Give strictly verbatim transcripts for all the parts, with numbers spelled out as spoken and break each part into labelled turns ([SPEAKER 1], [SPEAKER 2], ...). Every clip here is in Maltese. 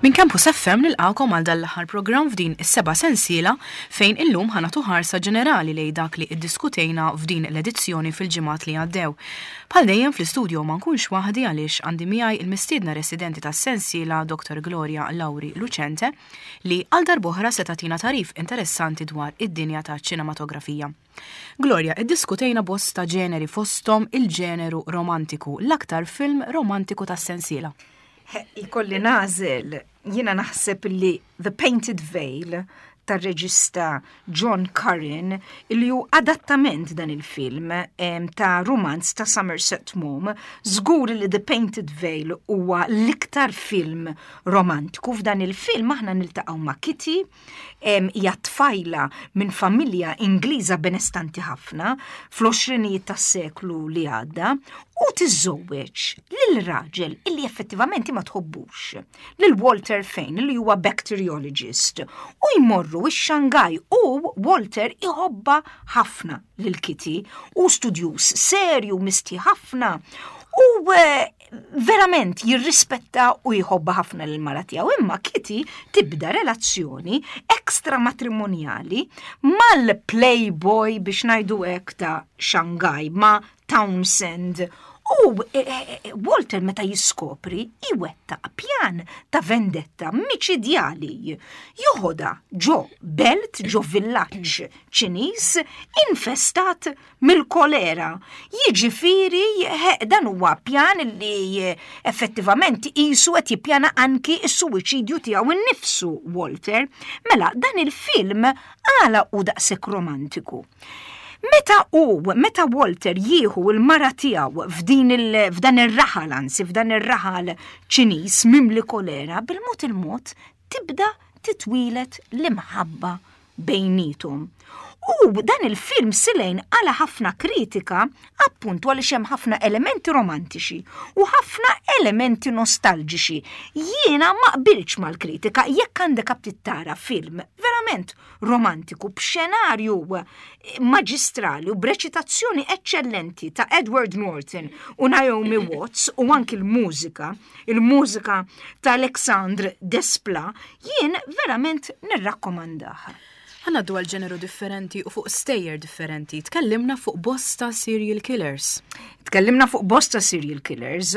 [SPEAKER 1] Minn Campus F M nilqakom għal dan l-aħħar programm f'din is-seba' sensiela, fejn illum ħa nagħtu ħarsa ġenerali lejn dak li iddiskutejna f'din l-edizzjoni fil-ġimgħat li għaddew. Bħal dejjem, fl-istudio ma nkunx waħdi, għaliex għandi miegħi il-mistiedna residenti tas-sensiela, Doctor Gloria Lauri Lucente, li għal darb'oħra se tagħtina tagħrif interessanti dwar id-dinja ta' ċinematografija. Gloria, iddiskutejna bosta ġeneri, fostom il-ġeneru romantiku, l-aktar film romantiku tas-sensiela.
[SPEAKER 2] Ikolli nagħżel, jiena naħseb li The Painted Veil tar-reġista John Curran, li hu adattament dan il-film ta' romanz ta' Somerset Maugham, żgur li The Painted Veil huwa l-iktar film romantiku. F'dan il-film aħna niltaqgħu ma' Kitty, hija tfajla minn familja Ingliża benestanti ħafna fl-għoxrinijiet tas-seklu li għadda u tiżżewweġ lil raġel illi effettivament ma tħobbux, lil Walter Fane, li huwa bacteriologist, u jmorru ix-Shanghai u Walter iħobba ħafna lil Kitty u studjus serju, misti ħafna u eh, verament jirrispetta u jħobba ħafna lil mara tiegħu. Imma Kitty tibda relazzjoni ekstra matrimonjali mal-playboy, biex ngħidu hekk, ta' Shanghai, ma' Townsend. U eh, eh, Walter, meta jiskopri, iwettaq pjan ta' vendetta miċidjali. Joħoda ġo belt, ġo villaġġ Ċiniż infestat mill-kolera. Jiġifieri dan huwa pjan li effettivament qisu qed jippjana anki s-suwiċidju tiegħu innifsu Walter. Mela, dan il-film għala hu daqshekk romantiku? Meta u, meta Walter jieħu il-mara tiegħu f'din il, f'dan ir-raħal, anzi f'dan ir-raħal Ċiniż mimli kolera, bil-mod il-mod tibda titwieled l-imħabba bejnietom. U dan il-film silejn għala ħafna kritika, appuntu għaliex hemm ħafna elementi romantiċi u ħafna elementi nostalġiċi. Jiena ma qbilx mal-kritika. Jekk għandek aptit tara film verament romantiku b'xenarju maġistrali u b'reċitazzjoni eccellenti ta' Edward Norton u Naomi Watts u anki l-mużika, il-mużika ta' Alexandre Desplat, jien verament nirrakkomandah.
[SPEAKER 1] Ħa ngħaddu għal ġeneru differenti u fuq stejjer differenti. Tkellimna fuq bosta serial killers.
[SPEAKER 2] Tkellimna fuq bosta serial killers.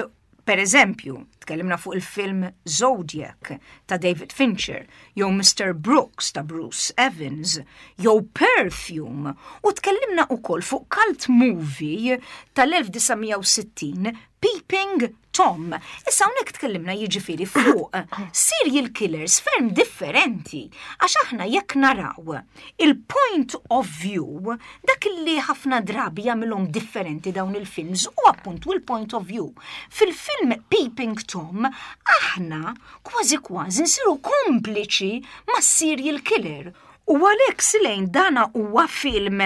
[SPEAKER 2] Per eżempju, tkellimna fuq il-film Zodiac ta' David Fincher, jew Mister Brooks ta' Bruce Evans, jew Perfume, u tkellimna ukoll fuq cult movie tal-elf disa' mija u sittin, Peeping Tom. Issa hawnhekk tkellimna, jiġifieri, fuq serial killers ferm differenti, għax aħna jekk naraw il-point of view, dak li ħafna drabi jagħmilhom differenti dawn il-films u appuntu il-point of view. Fil-film Peeping Tom aħna kważi kważi nsiru kompliċi ma' serial killer. U għalhekk silejn dana huwa film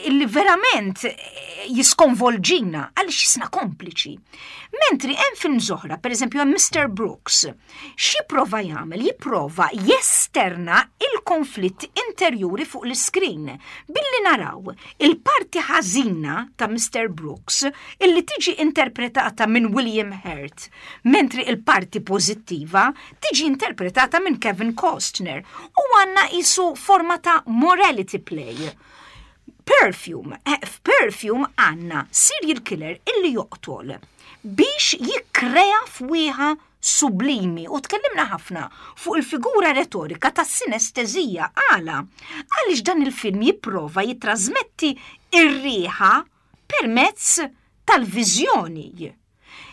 [SPEAKER 2] illi verament jiskonvolġina għaliex jisna kompliċi. Mentri hemm film oħra, per eżempju hemm Mister Brooks, x'jipprova jagħmel? Jipprova jesterna il-konflitt interjuri fuq l-iskrin billi naraw il-parti ħażina ta' Mister Brooks, illi tiġi interpretata minn William Hurt, mentri il-parti pożittiva tiġi interpretata minn Kevin Costner, u għandna qisu forma ta' morality play. Perfume, eh, f'Perfume għandna serial killer illi joqtol biex jikkrea fwieħa sublimi, u tkellimna ħafna fuq il-figura retorika ta' sinestezija. Għala? Għaliex dan il-film jipprova jitrasmetti ir-riħa permezz tal-viżjoni.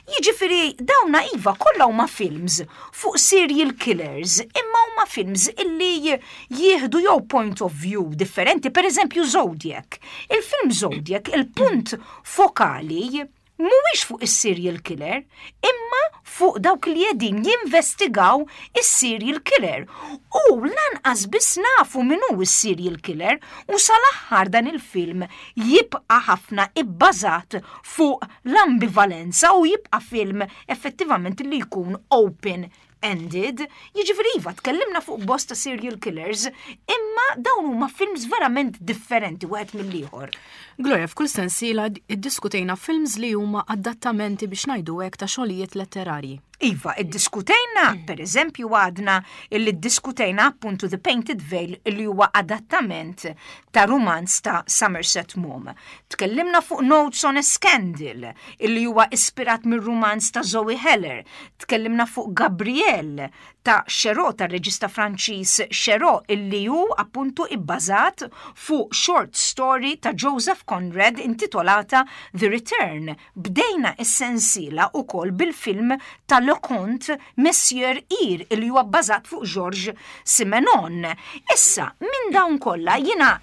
[SPEAKER 2] Jiġifieri dawna, iva, kollha huma films fuq serial killers, imma huma films illi jieħdu jew point of view differenti, per eżempju Zodiac. Il-film Zodiac, il-punt fokali mhuwiex fuq is-serial killer, imma fuq dawk li qegħdin jinvestigaw is-serial killer. U lanqas biss nafu min hu is-serial killer, u sal-aħħar dan il-film jibqa' ħafna ibbażat fuq l-ambivalenza u jibqa' film effettivament li jkun open ended. Jiġifieri iva, tkellimna fuq bosta serial killers, imma dawn huma films verament differenti wieħed mill-ieħor.
[SPEAKER 1] Gloria, f'kull sensiela iddiskutejna films li huma adattamenti, biex ngħidu hekk, ta' xogħlijiet letterarji.
[SPEAKER 2] Iva, iddiskutejna, per eżempju, għadna illi ddiskutejna appuntu The Painted Veil, illi huwa adattament ta' romanz ta' Somerset Maugham. Tkellimna fuq Notes on a Scandal, illi huwa ispirat mir romanz ta' Zoe Heller. Tkellimna fuq Gabrielle ta' Cherot, ta' reġista Franċiż Cherot, illi hu appuntu ibbażat fuq short story ta' Joseph Conrad intitolata The Return. Bdejna is-sensiela ukoll bil-film ta' Leconte, Monsieur Ir, illi huwa bbażat fuq Georges Simenon. Issa, minn dawn kollha, jiena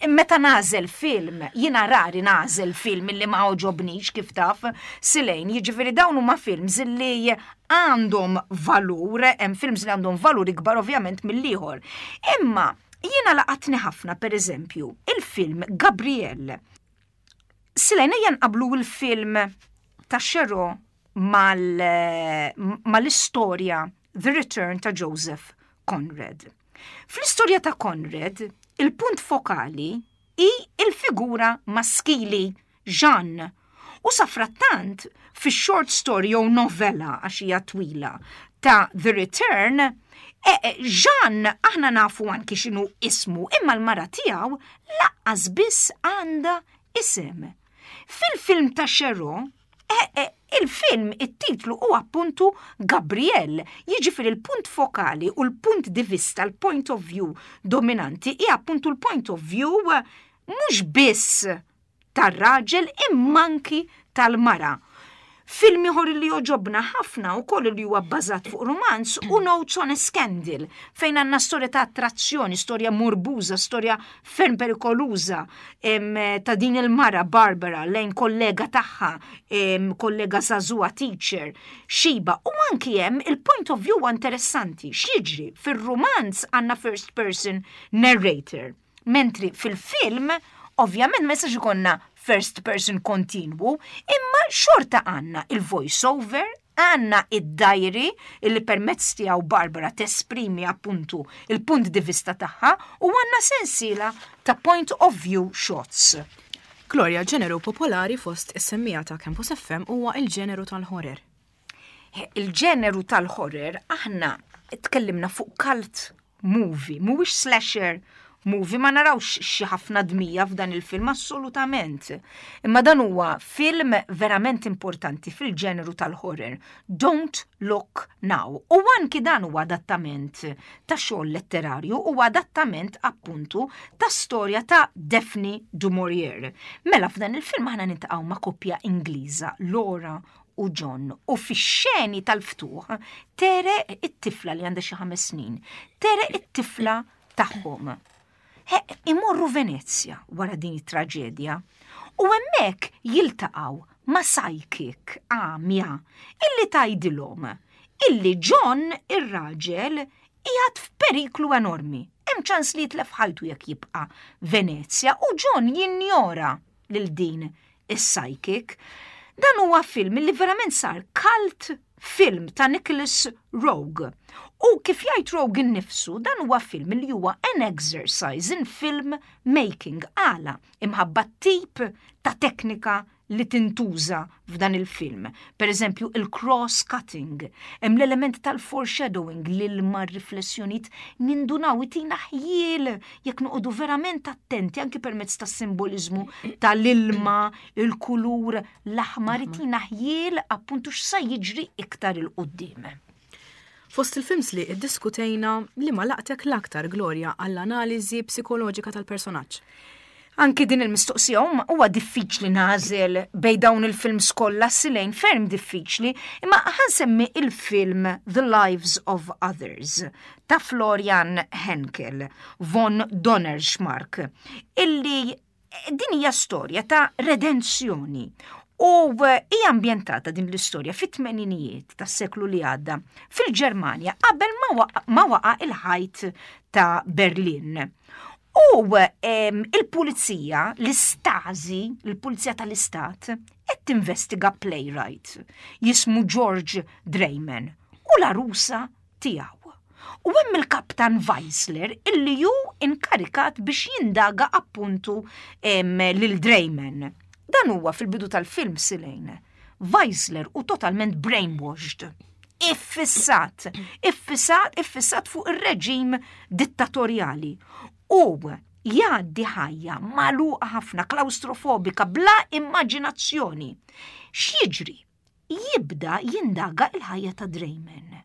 [SPEAKER 2] meta nagħżel film, jiena rari nagħżel film illi ma għoġobnix, kif taf, Silejn, jiġifieri dawn huma films li għandhom valur, hemm films li għandhom valur ikbar ovvjament mill-ieħor. Imma jiena laqatni ħafna, per eżempju, il-film Gabrielle. Silejn, ejja nqablu il-film ta' Cherot mal-istorja The Return ta' Joseph Conrad. Fl-istorja ta' Conrad, il-punt fokali hi il-figura maskili Jean. U safrattant, fi short story jew novella, għax hija twila, ta' The Return, e, e, Jean aħna nafu anki x'inhu ismu, imma l-mara tiegħu lanqas biss għandha isem. Fil-film ta' Cherot, e, e, il-film, it-titlu u appuntu Gabrielle, jiġifieri il-punt fokali u l-punt di vista, l-point of view dominanti, i appuntu l-point of view mhux biss tar-raġel imma anki tal-mara. Film ieħor li jogħġobna ħafna u koll li huwa bbażat fuq romanz hu Notes on a Scandal, fejn għandna storja ta' attrazzjoni, storja morbuża, storja ferm perikoluża em, ta' din il-mara Barbara lejn kollega tagħha, em, kollega żagħżugħa teacher, Xiba, u anki hemm il-point of view interessanti. X'jiġri? Fir-romanz għandna first person narrator, mentri fil-film ovvjament ma jistax ikollna first person kontinwu, imma xorta għandna il-voice over, għandna id-diary illi permezz tiegħu Barbara tesprimi appuntu il-punt di vista tagħha u għandna sensiela ta' point of view shots.
[SPEAKER 1] Gloria, ġeneru popolari fost is-semmiegħa ta' Campus F M huwa il-ġeneru tal-horror.
[SPEAKER 2] Il-ġeneru tal-horror, aħna tkellimna fuq cult movie, mhuwiex slasher movie, ma narawx xi ħafna dmija f'dan il-film assolutament. Imma dan huwa film verament importanti fil-ġeneru tal-horror. Don't Look Now. U anki dan huwa adattament ta' xogħol letterarju u adattament appuntu ta' storja ta' Daphne du Maurier. Mela f'dan il-film aħna niltaqgħu ma' koppja Ingliża, Laura u John, u fix-xeni tal-ftuħ tegħreq it-tifla li għandha xi ħames snin, tegħreq it-tifla tagħhom. He, imorru Venezja wara din it-traġedja u hemmhekk jiltaqgħu ma' psychic għamja illi tgħidilhom illi John, ir-raġel, qiegħed f'periklu enormi. Hemm ċans li jitlef ħajtu jekk jibqa' Venezja u John jinjora lil din is-psychic. Dan huwa film li verament sar cult film ta' Nicholas Roeg. U kif jgħid Roeg innifsu, dan huwa film li huwa an exercise in film making, għala imħabba tip ta' teknika li tintuża f'dan il-film. Per eżempju, il-cross-cutting, hemm l-element tal-foreshadowing, l-ilma, riflessjonijiet, nindunaw, itina ħjiel jekk noqogħdu verament attenti, anki permezz tas-simbolizmu tal-ilma, il-kulur l-aħmar itina ħjiel appuntu x'sa jiġri iktar 'il quddiem.
[SPEAKER 1] Fost il-films li iddiskutejna, li ma laqtek l-aktar, Gloria, għall-analiżi psikoloġika tal-personaġġ?
[SPEAKER 2] Anki din il-mistoqsija, huwa diffiċli nagħżel bejn dawn il-films kollha, Silejn, ferm diffiċli, imma ħa nsemmi il-film The Lives of Others ta' Florian Henkel von Donnerschmark, illi din hija storja ta' redenzjoni u hija ambjentata din l-istorja fit-tmeninijiet tas-seklu li għadda fil-Ġermanja, qabel ma waqa' il-ħajt ta' Berlin. U il-pulizija, l-Istasi, il-pulizija tal-istat, qed tinvestiga playwright jismu George Dreyman u l-arusa tiegħu. U hemm il-kaptan Weisler illi ju inkarikat biex jindaga appuntu lil Dreyman. Dan huwa fil-bidu tal-film, Silejn. Weisler hu totalment brainwashed. Iffissat, iffissat, iffissat fuq ir-reġim dittatorjali. U jgħaddi ħajja magħluqa ħafna, klaustrofobika, bla immaġinazzjoni. X'jiġri? Jibda jindaga il-ħajja ta' Dreyman.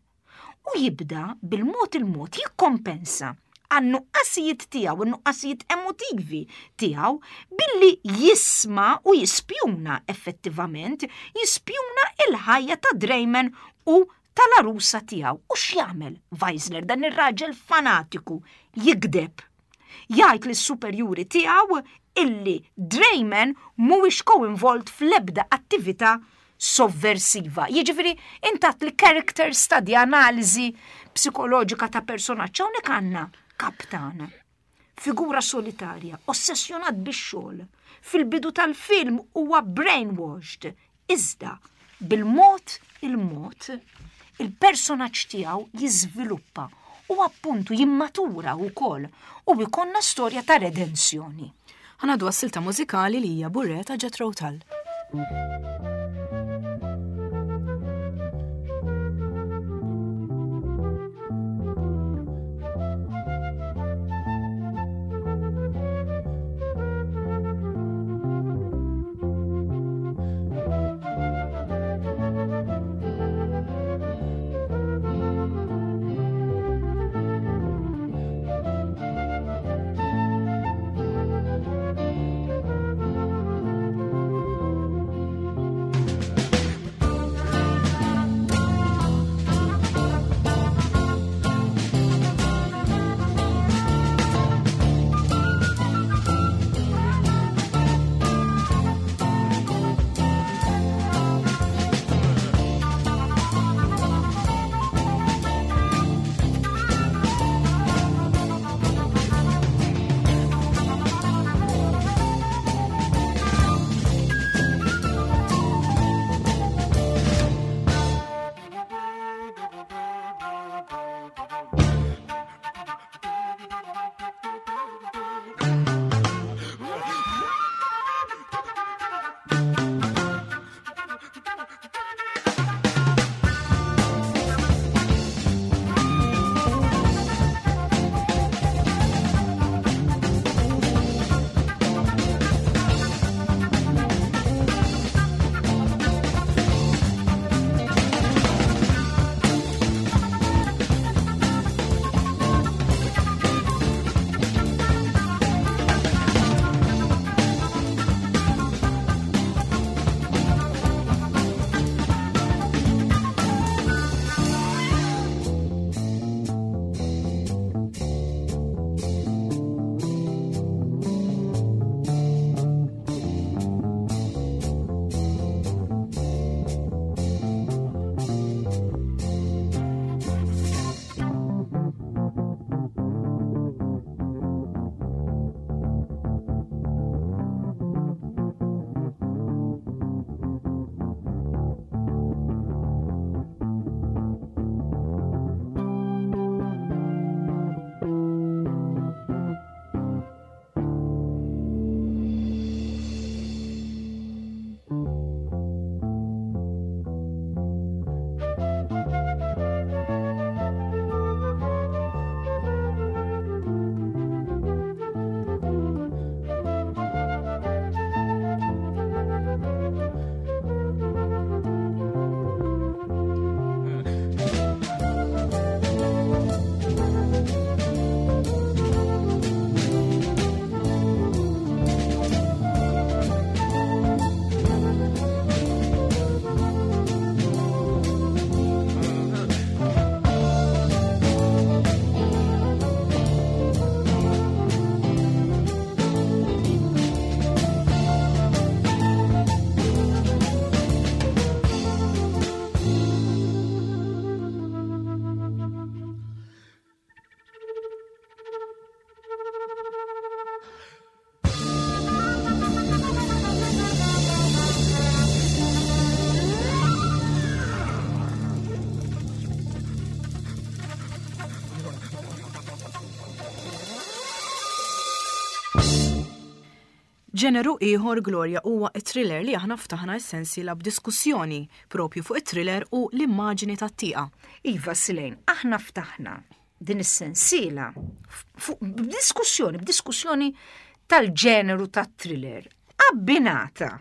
[SPEAKER 2] U jibda bil-mod il-mod jikkompensa għan-nuqqasijiet tiegħu, in-nuqqasijiet emotivi tiegħu billi jisma' u jispjuna effettivament, jispjuna il-ħajja ta' Dreyman u tal-arusa tiegħu. U x'jagħmel Weisler, dan ir-raġel fanatiku? Jigdeb. Jgħid lis-superjuri tiegħu illi Dreyman mhuwiex co-involved fl-ebda attività sovversiva. Jiġifieri intat li character study, analiżi psikoloġika ta' personaġġ. Hawnhekk għandna kaptan, figura solitarja, ossessjonat bix-xogħol. Fil-bidu tal-film huwa brainwashed. Iżda bil-mod il-mod il-personaġġ tiegħu jiżviluppa u appuntu jimmatura wkoll u jkollna storja ta' redenzjoni.
[SPEAKER 1] Ħa ngħaddu għas-silta mużikali li hija Bourrée ta' Jethro Tull. Ġeneru ieħor, Gloria, huwa it-thriller li aħna ftaħna s-sensiela b'diskussjoni propju fuq it-thriller u l-immaġini tat-tieqa.
[SPEAKER 2] Iva, Silejn, aħna ftaħna din is-sensiela b'diskussjoni, b'diskussjoni tal-ġeneru tat-thriller abbinata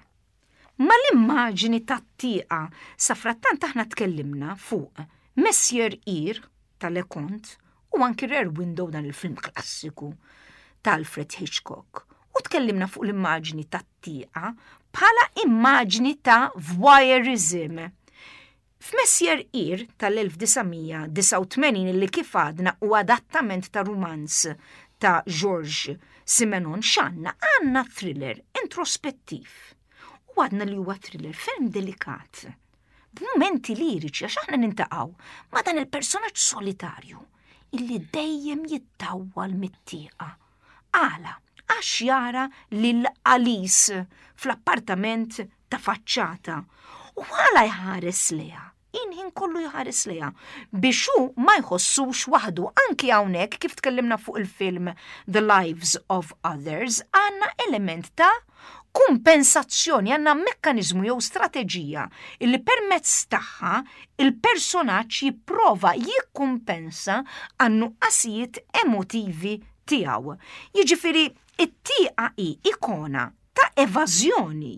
[SPEAKER 2] ma l-immaġini tat-tieqa. Safrattant aħna tkellimna fuq Monsieur Ir ta' Leconte u anki Rear Window, dan il-film klassiku ta' Alfred Hitchcock. U tkellimna fuq l-immaġni tat-tieqa bħala immaġni ta' voyeurism. F'Messier Ir tal-elf disa' mija disgħa u tmenin, li kif għadna u adattament ta' rumanz ta' Georges Simenon, x'għandna? Għandna thriller introspettiv. U għadna li huwa thriller ferm delikat, b'mumenti liriċi, għax aħna niltaqgħu ma' dan il-personaġġ solitarju illi dejjem jittawwal mit-tieqa. Għala? Għax jara lil Alice fl-appartament ta' faċċata. U għala jħares lejha? Il-ħin kollu jħares lejha biex hu ma jħossux waħdu. Anki hawnhekk, kif tkellimna fuq il-film The Lives of Others, għandna element ta' kumpensazzjoni, għandna mekkanizmu jew strateġija illi permezz tagħha il-personaġġ jipprova jikkumpensa għan-nuqqasijiet emotivi tiegħu. Jiġifieri it-tieqa hi ikona ta' evażjoni.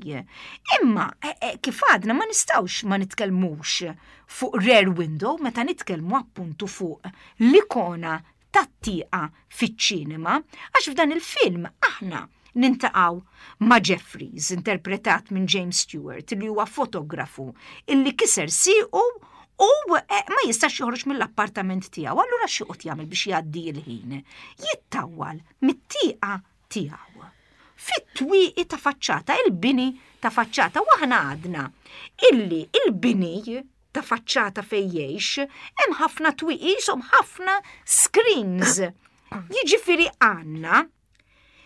[SPEAKER 2] Imma e, e, kif għadna, ma nistgħux ma nitkellmux fuq Rear Window meta nitkellmu appuntu fuq l-ikona tat-tieqa fiċ-ċinema, għax f'dan il-film aħna niltaqgħu ma' Jeffries, interpretat minn James Stewart, li huwa fotografu illi kiser siqu u eh, ma jistax joħroġ mill-appartament tiegħu. Allura x'joqgħod jagħmel biex jgħaddi l-ħin? Jittawwal mit-tieqa tiegħu fit-twieqi ta' faċċata, il-bini ta' faċċata, u aħna għadna illi il-bini ta' faċċata fej jgħix hemm ħafna twieqi, jisom ħafna screens. Jiġifieri għandna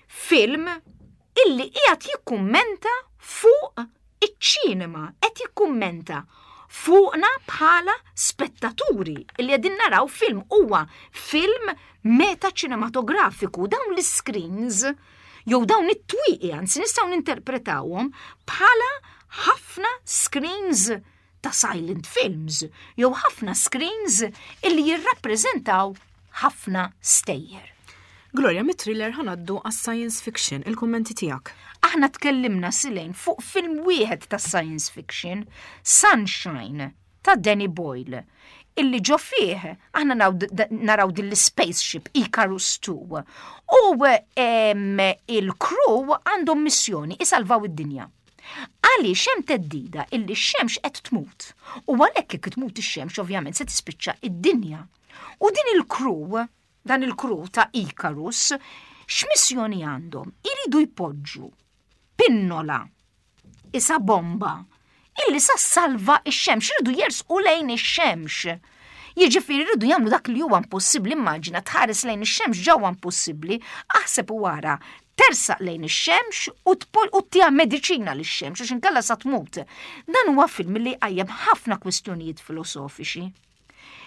[SPEAKER 2] film illi qiegħed jikkummenta fuq iċ-ċinema, qed jikkummenta fuqna bħala spettaturi illi qegħdin naraw film. Huwa film meta ċinematografiku. Dawn l-screens jew dawn it-twieqi, anzi, nistgħu ninterpretawhom bħala ħafna screens ta' silent films jew ħafna screens illi jirrappreżentaw ħafna stejjer.
[SPEAKER 1] Gloria, mit-thriller ħa ngħaddu għas-science fiction, il-kommenti tiegħek.
[SPEAKER 2] Aħna tkellimna, Silejn, fuq film wieħed ta' science fiction, Sunshine ta' Danny Boyle, illi ġo fih aħna naraw din l-spaceship Icarus two u il-crew għandhom missjoni isalvaw id-dinja. Għaliex hemm theddida illi x-xemx qed tmut. U għalhekk jekk tmut ix-xemx, ovvjament se tispiċċa id-dinja. U din il-crew, dan il-crew ta' Icarus, x'missjoni għandhom? Iridu jpoġġu pinnola isa bomba illi sa salva ix-xemx, iridu jersqu lejn ix-xemx. Jiġifieri rridu jagħmlu dak li huwa impossibbli. Immaġina tħares lejn ix-xemx, ġewwa impossibbli, aħseb u wara tersaq lejn ix-xemx u ttiha mediċina lix-xemx għax inkella sa tmut. Dan huwa film li qajjem ħafna kwistjonijiet filosofiċi.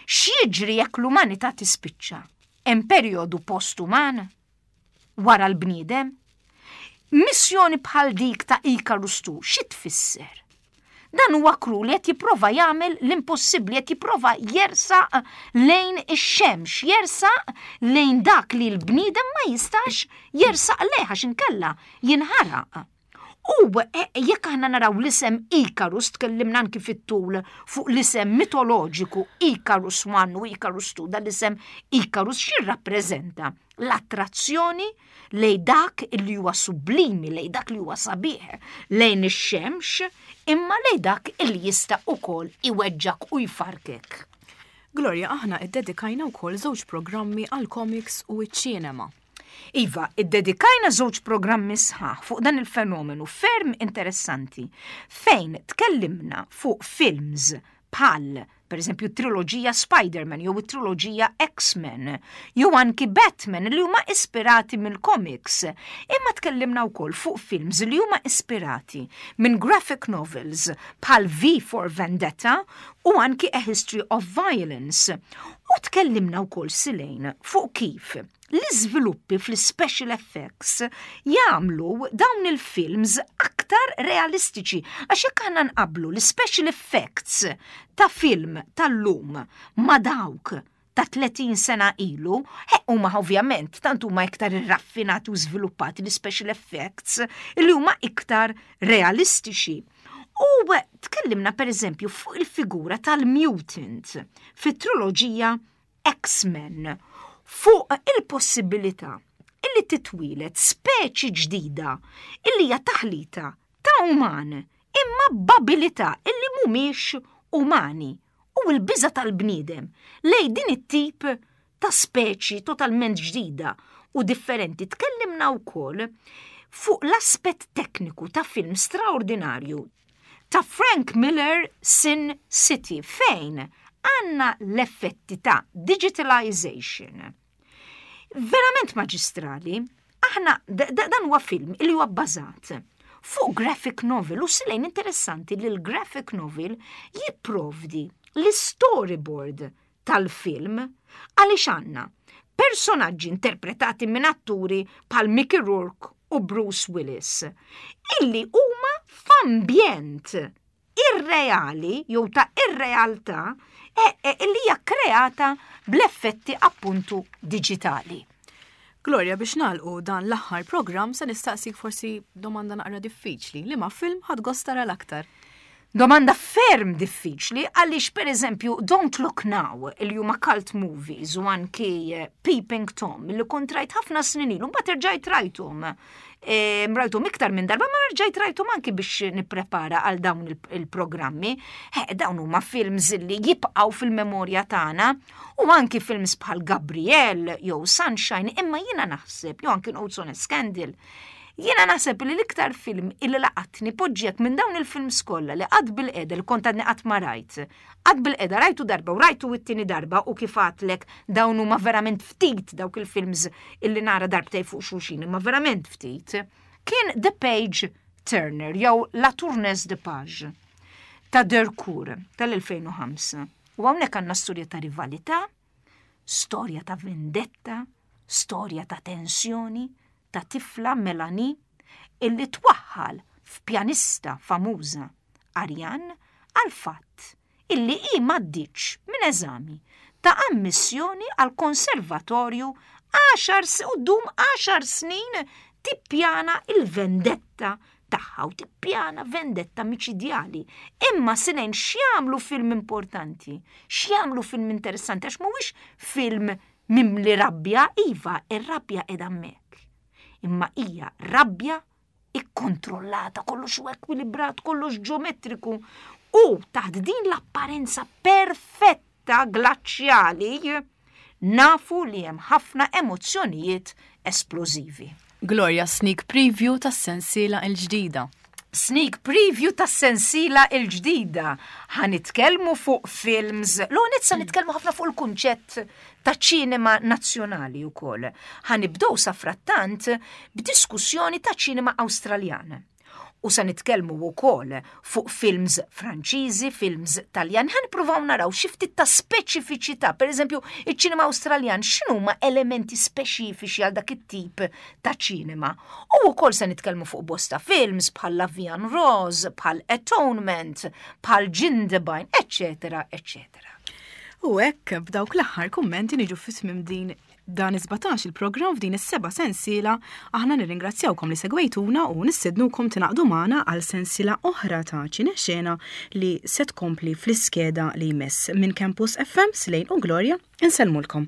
[SPEAKER 2] X'jiġri jekk l-umanità tispiċċa? Hemm perjodu post-uman wara l-bniedem? Missjoni bħal dik ta' Icarus two, xi tfisser? Dan huwa crew li qed jipprova jagħmel l-impossibbli, qed jipprova jersaq lejn ix-xemx, jersaq lejn dak li l-bniedem ma jistax jersaq lejh għax inkella jinħaraq. U e, jekk aħna naraw l-isem Icarus, tkellimna anki fit-tul fuq l-isem mitoloġiku Icarus one u Icarus two, dan l-isem Icarus x'jirrappreżenta? L-attrazzjoni lejn dak li huwa sublimi, lejn dak li huwa sabiħ, lejn ix-xemx, imma lejn dak illi jista' ukoll iweġġak u jfarkek.
[SPEAKER 1] Gloria, aħna iddedikajna wkoll żewġ programmi għal comics u ċ-ċinema.
[SPEAKER 2] Iva, iddedikajna żewġ programmi sħaħ fuq dan il-fenomenu ferm interessanti fejn tkellimna fuq films bħal, per eżempju, triloġija Spider-Man jew it-triloġija X-Men jew anki Batman li huma ispirati mill-comics. Imma tkellimna wkoll fuq films li huma ispirati minn graphic novels bħal V for Vendetta u anki A History of Violence. U U tkellimna wkoll, Silejn, fuq kif l-iżviluppi fl-special effects jagħmlu dawn il-films aktar realistiċi. Għax jekk aħna nqablu l-special effects ta' film tal-lum ma' dawk ta' tletin sena ilu, huma ovvjament tant huma iktar irraffinati u żviluppati l-special effects li huma iktar realistiċi. U tkellimna, per eżempju, fuq il-figura tal-mutant fit-triloġija X-Men, fuq il-possibilità illi titwieled speċi ġdida illi hija taħlita ta' uman imma b'abilità illi mhumiex umani u l-biża tal-bniedem lej din it-tip ta' speċi totalment ġdida u differenti. Tkellimna wkoll fuq l-aspett tekniku ta' film straordinarju ta' Frank Miller, Sin City, fejn għanna l-effetti ta' digitalization. Verament maġistrali. Aħna dan huwa film li huwa bbażat fuq graphic novel u, Silejn, interessanti li l-graphic novel jipprovdi l-storyboard tal-film, għaliex għandna personaġġi interpretati minn atturi bħal Mickey Rourke u Bruce Willis illi huma f'ambjent irreali jew ta' irrealtà e, e, illi hija kreata bl-effetti appuntu digitali.
[SPEAKER 1] Gloria, biex nagħlqu dan l-aħħar program, se nistaqsik forsi domanda naqra diffiċli: liema film ħadt gost tara l-aktar?
[SPEAKER 2] Domanda ferm diffiċli, għaliex, per eżempju, Don't Look Now, il huma cult movies, u anki eh, Peeping Tom li kont rajt ħafna snin ilu, mbagħad erġajt rajthom. E, rajthom iktar minn darba, ma rġajt rajthom anki biex nipprepara għal dawn il-programmi. Dawn huma films li jibqgħu fil-memorja tagħna u anki films bħal Gabriel jew Sunshine, imma jiena naħseb, jew anki Notes on a Scandal. Jiena naħseb li l-iktar film illi laqatni poġġiek minn dawn il-films kollha li qatt bil-qeda li kont għadni qatt ma rajt. Qatt bil-qeda rajtu darba u rajtu it-tieni darba, u kif għedtlek, dawn huma verament ftit dawk il-films illi nara darbtej fuq xulxin, imma verament ftit. Kien The Page Turner jew La Tourneuse de Page ta' Dercourt tal-elfejn u ħamsa. U hawnhekk għandna storja ta' rivalità, storja ta' vendetta, storja ta' tensjoni, ta' tifla, Melanie, illi twaħħal f'pjanista famuża, Ariane, għal fatt illi i m'għaddietx minn eżami ta' ammissjoni għal konservatorju għaxar u ddum għaxar snin tippjana il-vendetta tagħha u tippjana vendetta miċidjali. Imma, Silejn, x'jagħmlu film importanti, x'jagħmlu film interessanti, għax mhuwiex film mimli rabbja, iva, ir-rabbja qiegħda hemmhekk. Imma hija rabbja ikkontrollata, kollox u ekwilibrat, kollox ġeometriku. U taħt din l-apparenza perfetta glaċjali nafu li hemm ħafna emozzjonijiet esplożivi.
[SPEAKER 1] Gloria, sneak preview tas-sensiela il-ġdida.
[SPEAKER 2] Sneak preview tas-sensiela il-ġdida. Ħa nitkellmu fuq films, l-għonet sa nitkellmu ħafna fuq il-kunċett ta' ċinema nazzjonali u koll. Ħa nibdew safrattant b'diskussjoni ta' ċinema Awstraljan. U sa nitkellmu wkoll fuq films Franċiżi, films Taljan, ħa nippruvaw naraw xi ftit ta' speċifiċità, per eżempju, iċ-ċinema Awstraljan, x'inhuma elementi speċifiċi għal dak it-tip ta' ċinema. U wkoll se nitkellmu fuq bosta films bħal La Vie en Rose, bħal Atonement, bħal Jindabyne, eccetera, eccetera.
[SPEAKER 1] U hekk, b'dawk l-aħħar kummenti, niġu fi tmiem din dan is-sbatax il-programm f'din is-seba' sensiela. Aħna nirringrazzjawkom li segwejtuna u nistednukom tingħaqdu magħna għal sensiela oħra ta' Ċinexena li se tkompli fl-iskeda li jmiss. Minn Campus F M, Slejn u Gloria, insellmulkom.